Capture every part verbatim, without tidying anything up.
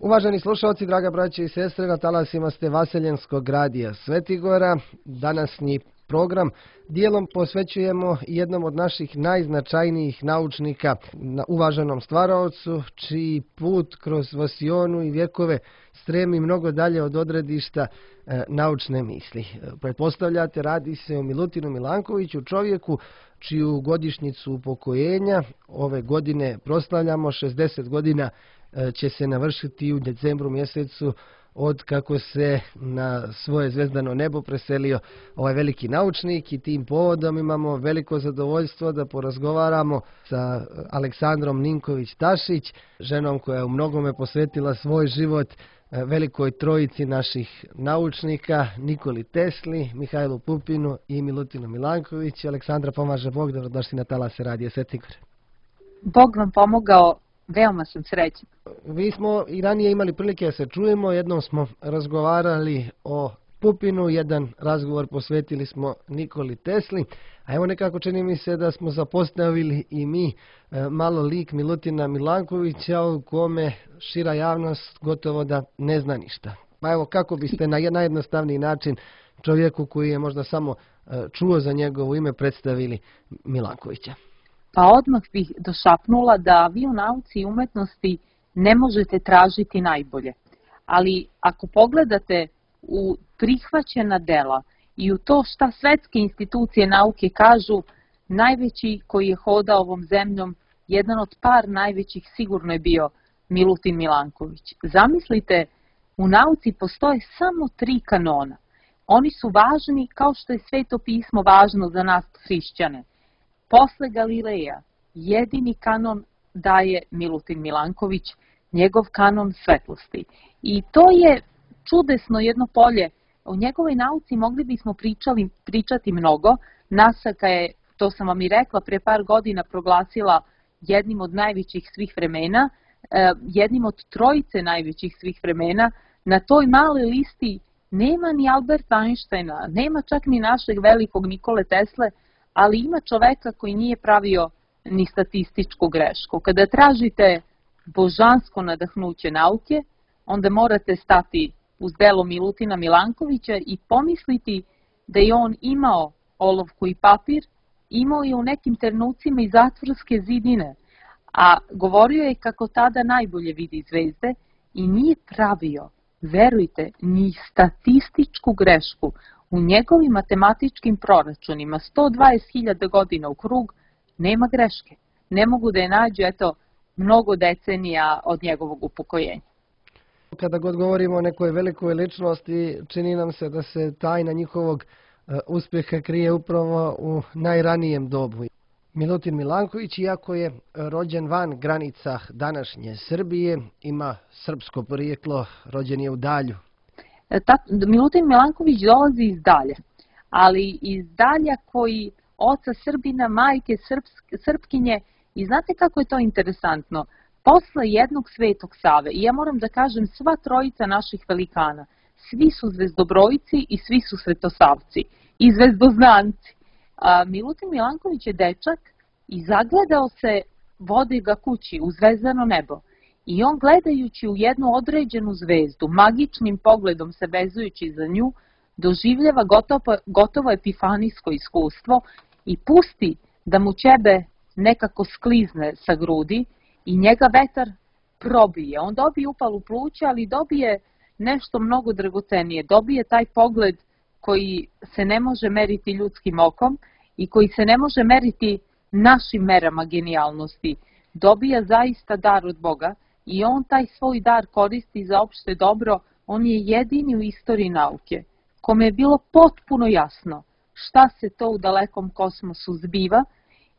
Uvaženi slušalci, draga braće i sestre, na talasima ste Vaseljenskog radija Svetigora. Današnji program dijelom posvećujemo jednom od naših najznačajnijih naučnika, uvaženom stvaraocu, čiji put kroz vasionu i vjekove stremi mnogo dalje od odredišta e, naučne misli. Pretpostavljate, radi se o Milutinu Milankoviću, čovjeku čiju godišnjicu upokojenja ove godine proslavljamo. šezdeset godina će se navršiti u decembru mjesecu od kako se na svoje zvezdano nebo preselio ovaj veliki naučnik, i tim povodom imamo veliko zadovoljstvo da porazgovaramo sa Aleksandrom Ninković-Tašić, ženom koja je u mnogome posvetila svoj život velikoj trojici naših naučnika, Nikoli Tesli, Mihajlu Pupinu i Milutinu Milankoviću. Aleksandra, pomaže Bog, dobrodošli na talase radija Svetigor. Bog vam pomogao. Veoma sam srećna. Vi smo i ranije imali prilike da se čujemo, jednom smo razgovarali o Pupinu, jedan razgovor posvetili smo Nikoli Tesli, a evo nekako čini mi se da smo zapostavili i mi malo lik Milutina Milankovića, o kome šira javnost gotovo da ne zna ništa. Pa evo, kako biste na najjednostavniji način čovjeku koji je možda samo čuo za njegovo ime predstavili Milankovića? Pa odmah bih došapnula da vi u nauci i umetnosti ne možete tražiti najbolje. Ali ako pogledate u prihvaćena dela i u to šta svetske institucije nauke kažu, najveći koji je hodao ovom zemljom, jedan od par najvećih sigurno je bio Milutin Milanković. Zamislite, u nauci postoje samo tri kanona. Oni su važni kao što je Sveto pismo važno za nas hrišćane. Posle Galileja jedini kanon daje Milutin Milanković, njegov kanon svetlosti. I to je čudesno jedno polje. O njegovoj nauci mogli bismo pričali, pričati mnogo. NASA je, to sam vam i rekla, pre par godina proglasila jednim od najvećih svih vremena, jednim od trojice najvećih svih vremena. Na toj maloj listi nema ni Alberta Einsteina, nema čak ni našeg velikog Nikole Tesle, ali ima čoveka koji nije pravio ni statističku grešku. Kada tražite božansko nadahnuće nauke, onda morate stati uz delo Milutina Milankovića i pomisliti da je on imao olovku i papir, imao je u nekim trenucima i zatvorske zidine, a govorio je kako tada najbolje vidi zvezde i nije pravio, verujte, ni statističku grešku. U njegovim matematičkim proračunima sto dvadeset hiljada godina u krug nema greške. Ne mogu da je nađu, eto, mnogo decenija od njegovog upokojenja. Kada god govorimo o nekoj velikoj ličnosti, čini nam se da se tajna njihovog uspjeha krije upravo u najranijem dobu. Milutin Milanković, iako je rođen van granica današnje Srbije, ima srpsko porijeklo, rođen je u Dalju. Milutin Milanković dolazi iz Dalja, ali iz Dalja koji oca Srbina, majke Srpkinje, i znate kako je to interesantno? Posle jednog Svetog Save, i ja moram da kažem sva trojica naših velikana, svi su zvezdobrojci i svi su svetosavci i zvezdoznanci. A Milutin Milanković je dečak i zagledao se, vodi ga kući u zvezdano nebo. I on, gledajući u jednu određenu zvezdu, magičnim pogledom se vezujući za nju, doživljava gotovo, gotovo epifanijsko iskustvo i pusti da mu ćebe nekako sklizne sa grudi i njega vetar probije. On dobije upalu pluća, ali dobije nešto mnogo dragocenije. Dobije taj pogled koji se ne može meriti ljudskim okom i koji se ne može meriti našim merama genijalnosti. Dobija zaista dar od Boga. I on taj svoj dar koristi za opšte dobro. On je jedini u istoriji nauke kome je bilo potpuno jasno šta se to u dalekom kosmosu zbiva,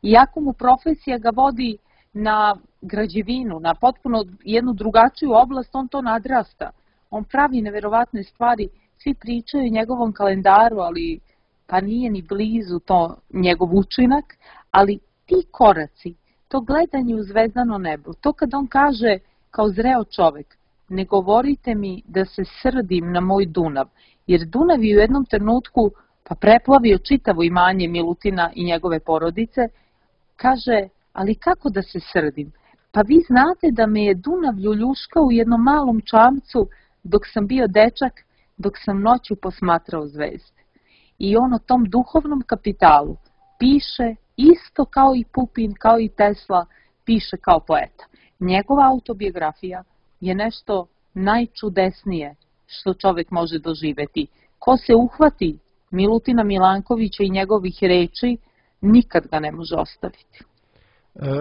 iako mu profesija ga vodi na građevinu, na potpuno jednu drugačiju oblast, on to nadrasta. On pravi neverovatne stvari, svi pričaju o njegovom kalendaru, ali pa nije ni blizu to njegov učinak, ali ti koraci, to gledanje u zvezdano nebo, to kad on kaže kao zreo čovek, ne govorite mi da se srdim na moj Dunav, jer Dunav je u jednom trenutku pa preplavio čitavo imanje Milutina i njegove porodice, kaže, ali kako da se srdim? Pa vi znate da me je Dunav ljuljuškao u jednom malom čamcu dok sam bio dečak, dok sam noću posmatrao zvezde. I on o tom duhovnom kapitalu piše isto kao i Pupin, kao i Tesla, piše kao poeta. Njegova autobiografija je nešto najčudesnije što čovjek može doživjeti. Ko se uhvati Milutina Milankovića i njegovih reči, nikad ga ne može ostaviti.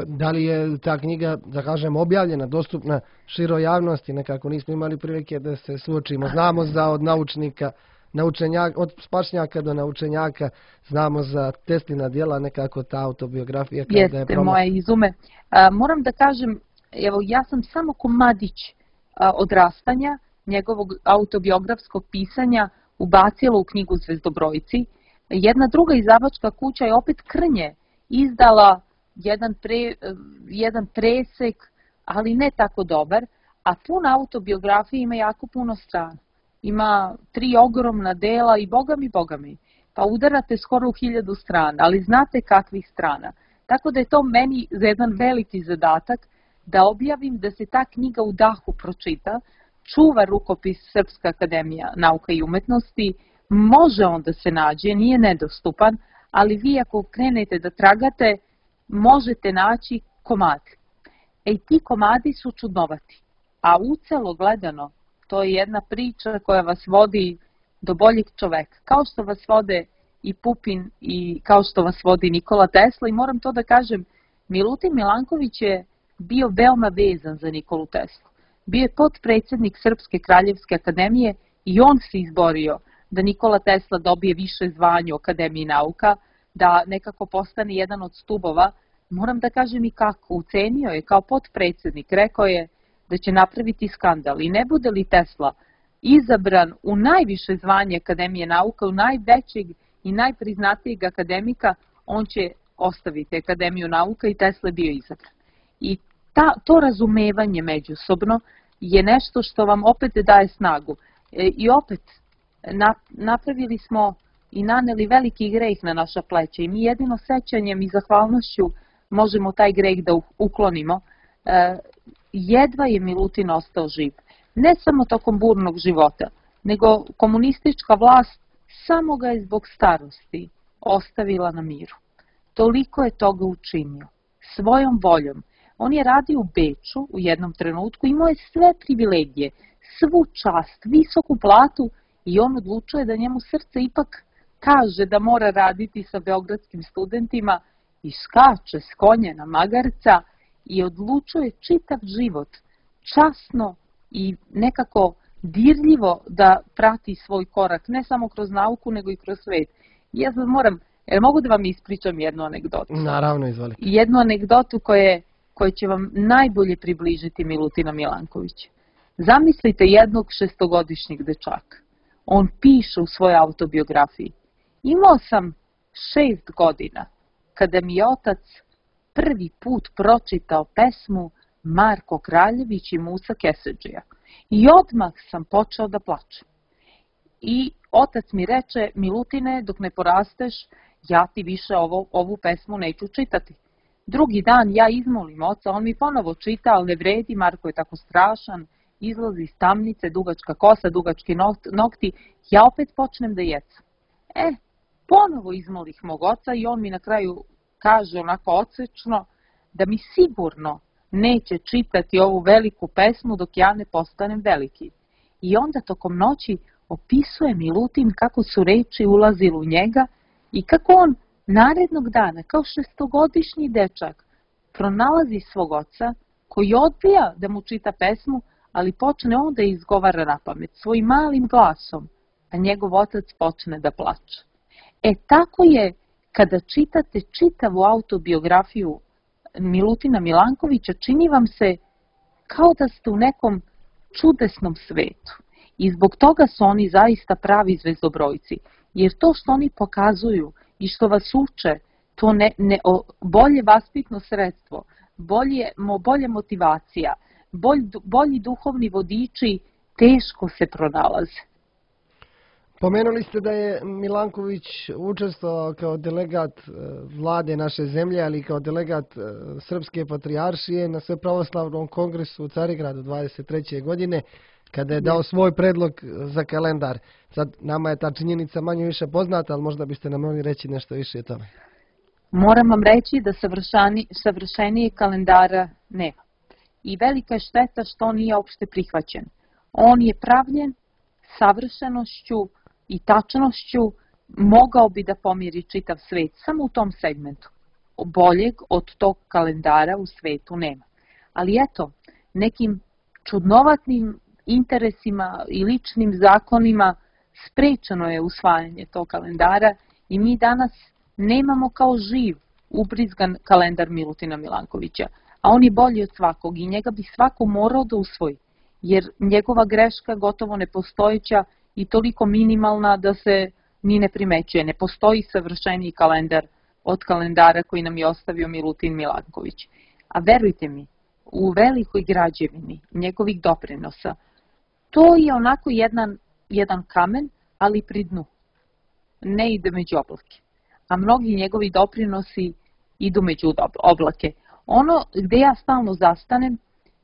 Da li je ta knjiga, da kažem, objavljena, dostupna široj javnosti? Nekako nismo imali prilike da se suočimo. Znamo za od naučnika, naučenjaka, od spašnjaka do naučenjaka, znamo za Teslina djela, nekako ta autobiografija. Jeste, je promo... moje izume. A, moram da kažem, evo, ja sam samo komadić a, odrastanja, njegovog autobiografskog pisanja, ubacila u knjigu Zvezdobrojci. Jedna druga izdavačka kuća je opet Krnje izdala jedan, pre, jedan presek, ali ne tako dobar, a puna autobiografija ima jako puno strana. Ima tri ogromna dela i boga mi, boga mi, pa udarate skoro u hiljadu strana, ali znate kakvih strana. Tako da je to meni za jedan veliki zadatak da objavim da se ta knjiga u dahu pročita, čuva rukopis Srpska akademija nauka i umetnosti, može on da se nađe, nije nedostupan, ali vi ako krenete da tragate, možete naći komadi. E ti komadi su čudnovati, a ucelo gledano, to je jedna priča koja vas vodi do boljeg čoveka, kao što vas vode i Pupin i kao što vas vodi Nikola Tesla. I moram to da kažem, Milutin Milanković je bio veoma vezan za Nikolu Teslu. Bio je potpredsjednik Srpske kraljevske akademije i on se izborio da Nikola Tesla dobije više zvanje u Akademiji nauka, da nekako postane jedan od stubova. Moram da kažem i kako, ucenio je kao potpredsjednik, rekao je da će napraviti skandal i ne bude li Tesla izabran u najviše zvanje Akademije nauka, u najvećeg i najpriznatijeg akademika, on će ostaviti Akademiju nauka i Tesla je bio izabran. I ta, to razumevanje međusobno je nešto što vam opet daje snagu. E, I opet na, napravili smo i naneli veliki greh na naša pleća i mi jedino sećanjem i zahvalnošću možemo taj greh da uklonimo. E, jedva je Milutin ostao živ. Ne samo tokom burnog života, nego komunistička vlast samo ga je zbog starosti ostavila na miru. Toliko je toga učinio. Svojom voljom. On je radio u Beču u jednom trenutku, imao je sve privilegije, svu čast, visoku platu i on odlučuje da njemu srce ipak kaže da mora raditi sa beogradskim studentima i skače s konja na magarca i odlučuje čitav život časno i nekako dirljivo da prati svoj korak, ne samo kroz nauku, nego i kroz svet. Ja sad moram, jer mogu da vam ispričam jednu anegdotu? Naravno, izvolite. Jednu anegdotu koje, koje će vam najbolje približiti Milutina Milankovića. Zamislite jednog šestogodišnjeg dečaka. On piše u svojoj autobiografiji. Imao sam šest godina kada mi je otac prvi put pročitao pesmu Marko Kraljević i Musa Kesedžija. I odmah sam počeo da plačem. I otac mi reče, Milutine, dok ne porasteš, ja ti više ovo, ovu pesmu neću čitati. Drugi dan ja izmolim oca, on mi ponovo čita, ali ne vredi, Marko je tako strašan, izlazi iz tamnice, dugačka kosa, dugački nokti, ja opet počnem da jecam. E, ponovo izmolih mog oca i on mi na kraju kaže onako odsečno da mi sigurno neće čitati ovu veliku pesmu dok ja ne postanem veliki. I onda tokom noći opisuje Milutin kako su reči ulazile u njega i kako on narednog dana, kao šestogodišnji dečak, pronalazi svog oca koji odbija da mu čita pesmu, ali počne on da izgovara na pamet svojim malim glasom, a njegov otac počne da plače. E tako je kada čitate čitavu autobiografiju Milutina Milankovića, čini vam se kao da ste u nekom čudesnom svetu. I zbog toga su oni zaista pravi zvezdobrojci. Jer to što oni pokazuju i što vas uče, to ne, ne, bolje vaspitno sredstvo, bolje, bolje motivacija, bolj, bolji duhovni vodiči teško se pronalaze. Pomenuli ste da je Milanković učestvovao kao delegat vlade naše zemlje, ali i kao delegat Srpske patrijaršije na Svepravoslavnom kongresu u Carigradu dvadeset treće godine, kada je dao svoj predlog za kalendar. Sad, nama je ta činjenica manje više poznata, ali možda biste nam mogli reći nešto više o tome. Moram vam reći da savršenije kalendara nema. I velika je šteta što on nije opšte prihvaćen. On je pravljen savršenošću i tačnošću, mogao bi da pomiri čitav svet, samo u tom segmentu. Boljeg od tog kalendara u svetu nema. Ali eto, nekim čudnovatnim interesima i ličnim zakonima sprečeno je usvajanje tog kalendara i mi danas nemamo kao živ ubrizgan kalendar Milutina Milankovića, a on je bolji od svakog i njega bi svako morao da usvoji, jer njegova greška gotovo nepostojeća i toliko minimalna da se ni ne primećuje. Ne postoji savršeniji kalendar od kalendara koji nam je ostavio Milutin Milanković. A verujte mi, u velikoj građevini njegovih doprinosa, to je onako jedan, jedan kamen, ali pri dnu. Ne ide među oblake. A mnogi njegovi doprinosi idu među oblake. Ono gde ja stalno zastanem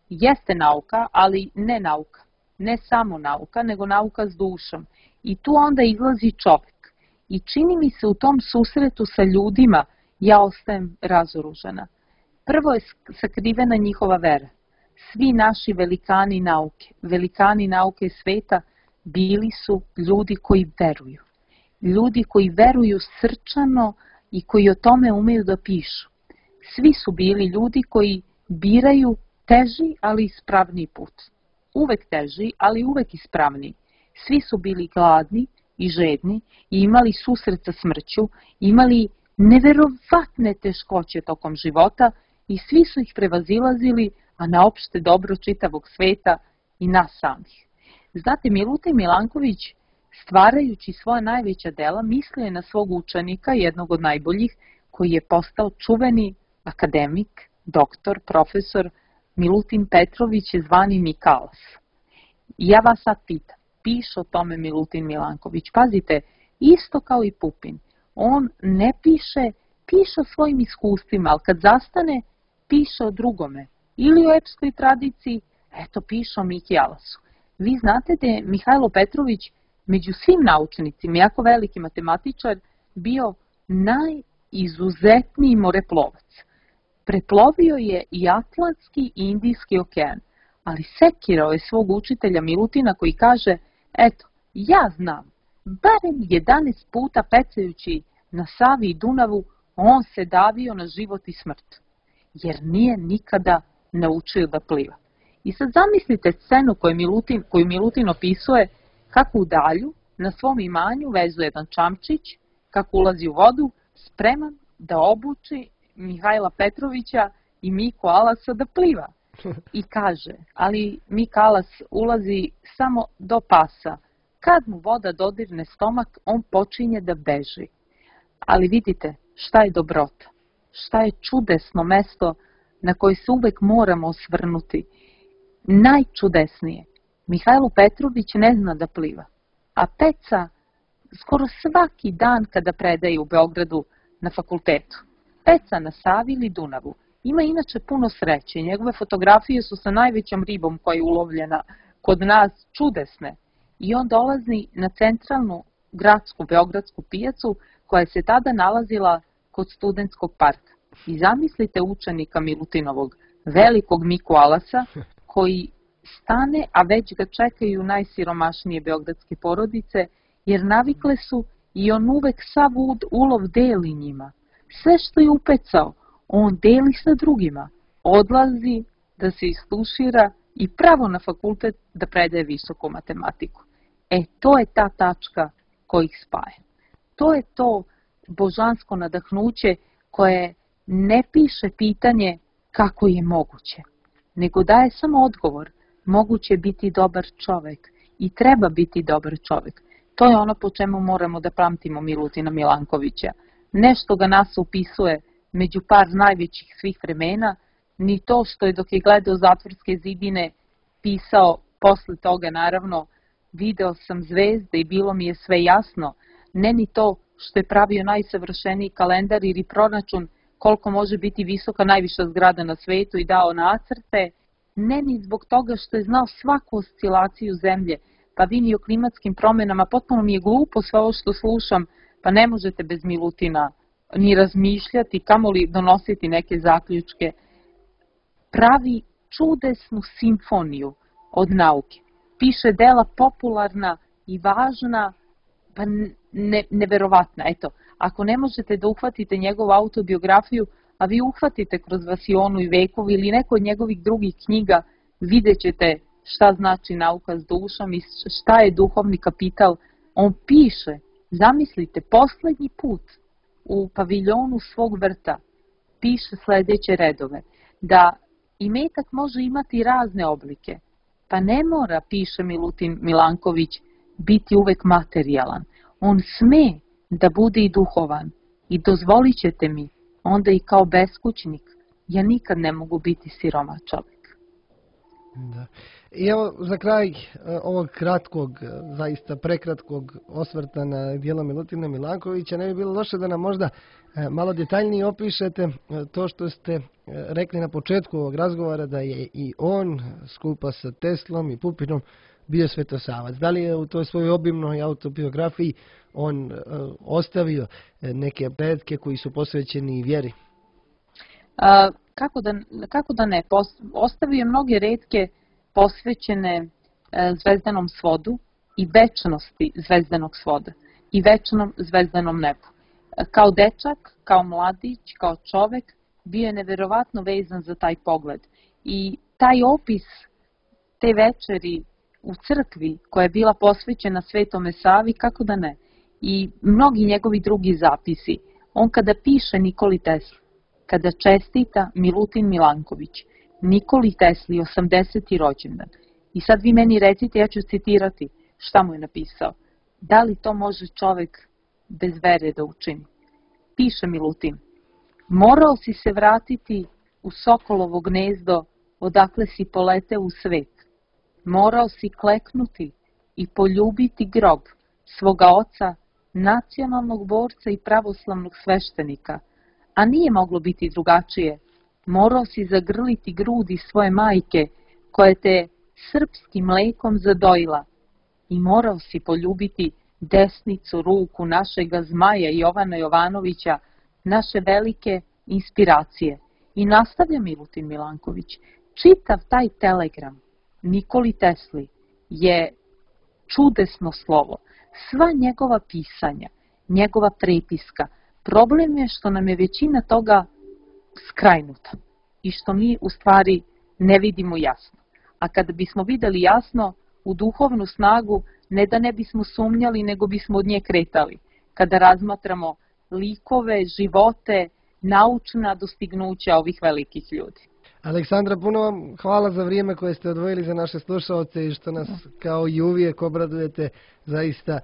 jeste nauka, ali ne nauka. Ne samo nauka, nego nauka s dušom. I tu onda izlazi čovek. I čini mi se u tom susretu sa ljudima ja ostajem razoružana. Prvo je sakrivena njihova vera. Svi naši velikani nauke, velikani nauke sveta bili su ljudi koji veruju. Ljudi koji veruju srčano i koji o tome umeju da pišu. Svi su bili ljudi koji biraju teži, ali ispravniji put. Uvek teži, ali uvek ispravniji. Svi su bili gladni i žedni i imali susret sa smrću, imali neverovatne teškoće tokom života i svi su ih prevazilazili, a na opšte dobro čitavog sveta i nas samih. Znate, Milutin Milanković, stvarajući svoja najveća dela, mislio je na svog učenika, jednog od najboljih, koji je postao čuveni akademik, doktor, profesor Milutin Petrović, zvani Mikalas. I ja vas sad pitam, piše o tome Milutin Milanković. Pazite, isto kao i Pupin. On ne piše, piše o svojim iskustvima, ali kad zastane, piše o drugome. Ili o epskoj tradiciji, eto piše o Miki Alasu. Vi znate da je Mihajlo Petrović među svim naučnicima, jako veliki matematičar, bio najizuzetniji moreplovac. Preplovio je i Atlantski i Indijski okean, ali sekirao je svog učitelja Milutina koji kaže, eto, ja znam, barem jedanaest puta pecajući na Savi i Dunavu, on se davio na život i smrt, jer nije nikada naučio da pliva. I sad zamislite scenu koju Milutin, koju Milutin opisuje, kako u dalju na svom imanju vezuje jedan čamčić, kako ulazi u vodu, spreman da obuči Mihajla Petrovića i Miku Alasa da pliva. I kaže, ali Mika Alas ulazi samo do pasa. Kad mu voda dodirne stomak, on počinje da beži. Ali vidite šta je dobrota, šta je čudesno mesto na koje se uvek moramo osvrnuti. Najčudesnije, Mihajlo Petrović ne zna da pliva, a peca skoro svaki dan kada predaje u Beogradu na fakultetu. Peca na Savi ili Dunavu. Ima inače puno sreće. Njegove fotografije su sa najvećom ribom koja je ulovljena kod nas čudesne. I on dolazi na centralnu gradsku beogradsku pijacu koja se tada nalazila kod Studentskog parka. I zamislite učenika Milutinovog, velikog Miku Alasa, koji stane, a već ga čekaju najsiromašnije beogradske porodice, jer navikle su i on uvek sav ulov deli njima. Sve što je upecao, on deli sa drugima, odlazi da se istušira i pravo na fakultet da predaje visoku matematiku. E, to je ta tačka koja ih spaja. To je to božansko nadahnuće koje ne piše pitanje kako je moguće, nego daje samo odgovor. Moguće biti dobar čovek i treba biti dobar čovek. To je ono po čemu moramo da pamtimo Milutina Milankovića. Nešto ga nas upisuje među par najvećih svih vremena, ni to što je dok je gledao Zatvorske zidine pisao posle toga naravno video sam zvezde i bilo mi je sve jasno, ne ni to što je pravio najsavršeniji kalendar ili proračun koliko može biti visoka najviša zgrada na svetu i dao nacrte, ne ni zbog toga što je znao svaku oscilaciju zemlje, pa vi ni o klimatskim promenama, potpuno mi je glupo sve ovo što slušam, pa ne možete bez Milutina ni razmišljati, kamoli donositi neke zaključke. Pravi čudesnu simfoniju od nauke. Piše dela popularna i važna, pa ne, neverovatna. Eto, ako ne možete da uhvatite njegovu autobiografiju, a vi uhvatite kroz Vasionu i vekovi ili neko od njegovih drugih knjiga, vidjet ćete šta znači nauka s dušom i šta je duhovni kapital. On piše, zamislite, poslednji put u paviljonu svog vrta piše sledeće redove, da imetak može imati razne oblike, pa ne mora, piše Milutin Milanković, biti uvek materijalan. On sme da bude i duhovan i dozvolit ćete mi, onda i kao beskućnik, ja nikad ne mogu biti siroma čovjek. Da. I evo za kraj ovog kratkog, zaista prekratkog osvrta na djelo Milutina Milankovića, ne bi bilo loše da nam možda malo detaljnije opišete to što ste rekli na početku ovog razgovora, da je i on skupa sa Teslom i Pupinom bio svetosavac. Da li je u toj svojoj obimnoj autobiografiji on ostavio neke predke koji su posvećeni vjeri? A, kako, da, kako da ne? Ostavio je mnoge retke posvećene e, zvezdanom svodu i večnosti zvezdanog svoda i večnom zvezdanom nebu. E, kao dečak, kao mladić, kao čovek, bio je neverovatno vezan za taj pogled. I taj opis te večeri u crkvi koja je bila posvećena Svetome Savi, kako da ne? I mnogi njegovi drugi zapisi. On kada piše Nikoli Tesli, kada čestita Milutin Milanković, Nikoli Tesli, osamdeseti rođendan. I sad vi meni recite, ja ću citirati šta mu je napisao. Da li to može čovek bez vere da učini? Piše Milutin, morao si se vratiti u Sokolovo gnezdo odakle si poleteo u svet. Morao si kleknuti i poljubiti grob svoga oca, nacionalnog borca i pravoslavnog sveštenika, a nije moglo biti drugačije. Morao si zagrliti grudi svoje majke, koja te srpskim mlekom zadojila, i morao si poljubiti desnicu ruku našega zmaja Jovana Jovanovića, naše velike inspiracije. I nastavlja Milutin Milanković, čitav taj telegram Nikoli Tesli je čudesno slovo. Sva njegova pisanja, njegova prepiska, problem je što nam je većina toga skrajnuta i što mi u stvari ne vidimo jasno. A kada bismo videli jasno u duhovnu snagu, ne da ne bismo sumnjali, nego bismo od nje kretali. Kada razmatramo likove, živote, naučna dostignuća ovih velikih ljudi. Aleksandra, puno vam hvala za vrijeme koje ste odvojili za naše slušalce i što nas kao i uvijek obradujete zaista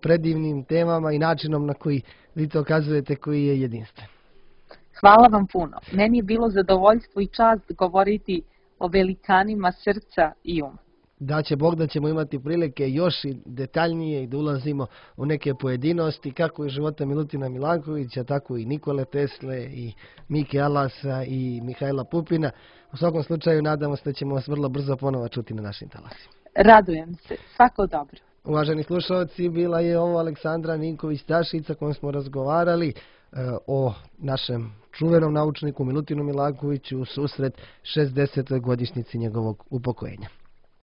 predivnim temama i načinom na koji vi to okazujete, koji je jedinstven. Hvala vam puno. Meni je bilo zadovoljstvo i čast govoriti o velikanima srca i uma. Da će Bog da ćemo imati prilike još i detaljnije i da ulazimo u neke pojedinosti kako iz života Milutina Milankovića, tako i Nikole Tesle i Mike Alasa i Mihajla Pupina. U svakom slučaju nadamo se da ćemo vas vrlo brzo ponovo čuti na našim talasima. Radujem se. Svako dobro. Uvaženi slušalci, bila je ovo Aleksandra Ninković-Stašica kojom smo razgovarali e, o našem čuvenom naučniku Milutinu Milankoviću u susret šezdesetoj godišnjici njegovog upokojenja.